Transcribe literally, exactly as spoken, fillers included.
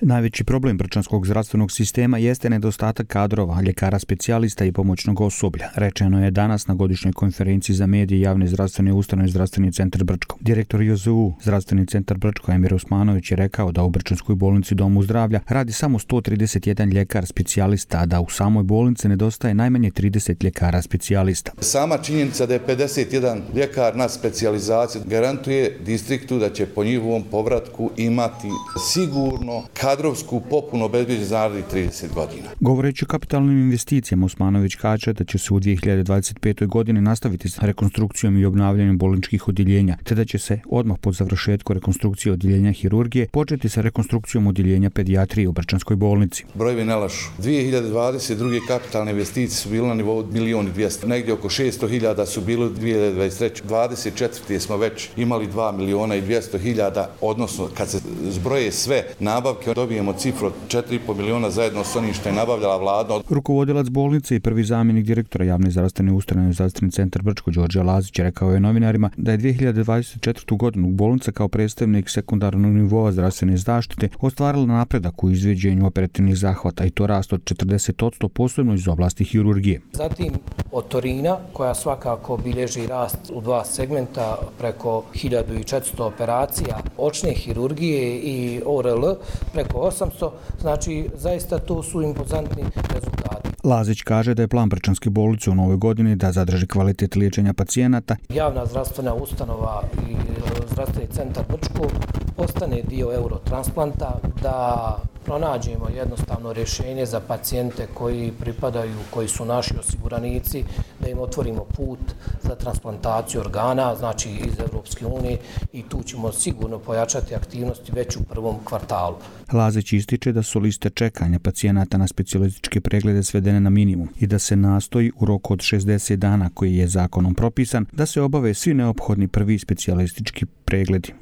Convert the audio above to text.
Najveći problem brčanskog zdravstvenog sistema jeste nedostatak kadrova, ljekara specijalista i pomoćnog osoblja, rečeno je danas na godišnjoj konferenciji za medije javne zdravstvene ustanove Zdravstveni centar Brčko. Direktor J Z U Zdravstveni centar Brčko Emir Osmanović je rekao da u Brčanskoj bolnici Domu zdravlja radi samo sto trideset jedan ljekar specijalista, a da u samoj bolnici nedostaje najmanje trideset ljekara specijalista. Sama činjenica da je pedeset jedan ljekar na specijalizaciji garantuje distriktu da će po njihovom povratku imati sigurno kadrovsku popunu obezbeđenu za narednih trideset godina. Govoreći o kapitalnim investicijama, Osmanović kaže da će se u dvije hiljade dvadeset petoj. godini nastaviti s rekonstrukcijom i obnavljanjem bolničkih odjeljenja, te da će se odmah po završetku rekonstrukcije odjeljenja hirurgije početi sa rekonstrukcijom odjeljenja pedijatrije u Brčanskoj bolnici. Brojevi ne lažu. dvije hiljade dvadeset druge. kapitalne investicije su bile na nivou milion i dvjesto. Negdje oko šesto hiljada su bile dvije hiljade dvadeset treće. dvadeset četvrte. smo već imali dva miliona i dvjesto hiljada, odnosno kad se zbroje sve nabavke, dobijemo cifru od četiri i po miliona zajedno s onim što je nabavljala vlada. Rukovodilac bolnice i prvi zamjenik direktora javne zdravstvene ustanove Zdravstveni centar Brčko Đorđe Lazić rekao je novinarima da je dvije hiljade dvadeset četvrte. godinu bolnica kao predstavnik sekundarnog nivoa zdravstvene zaštite ostvarila napredak u izvođenju operativnih zahvata i to rast od četrdeset posto, posebno iz oblasti hirurgije. Zatim otorina koja svakako bilježi rast u dva segmenta preko hiljadu četiristo operacija, očne hirurgije i O R L preko osamsto, znači zaista to su impozantni rezultati. Lazić kaže da je plan Brčanske bolnice u novoj godini da zadrži kvalitet liječenja pacijenata. Javna zdravstvena ustanova i Zdravstveni centar Brčko postane dio eurotransplanta, da pronađemo jednostavno rješenje za pacijente koji pripadaju, koji su naši osiguranici, da im otvorimo put za transplantaciju organa, znači iz Europske unije, i tu ćemo sigurno pojačati aktivnosti već u prvom kvartalu. Lazić ističe da su liste čekanja pacijenata na specijalističke preglede svedene na minimum i da se nastoji u roku od šezdeset dana koji je zakonom propisan da se obave svi neophodni prvi specijalistički pregledi.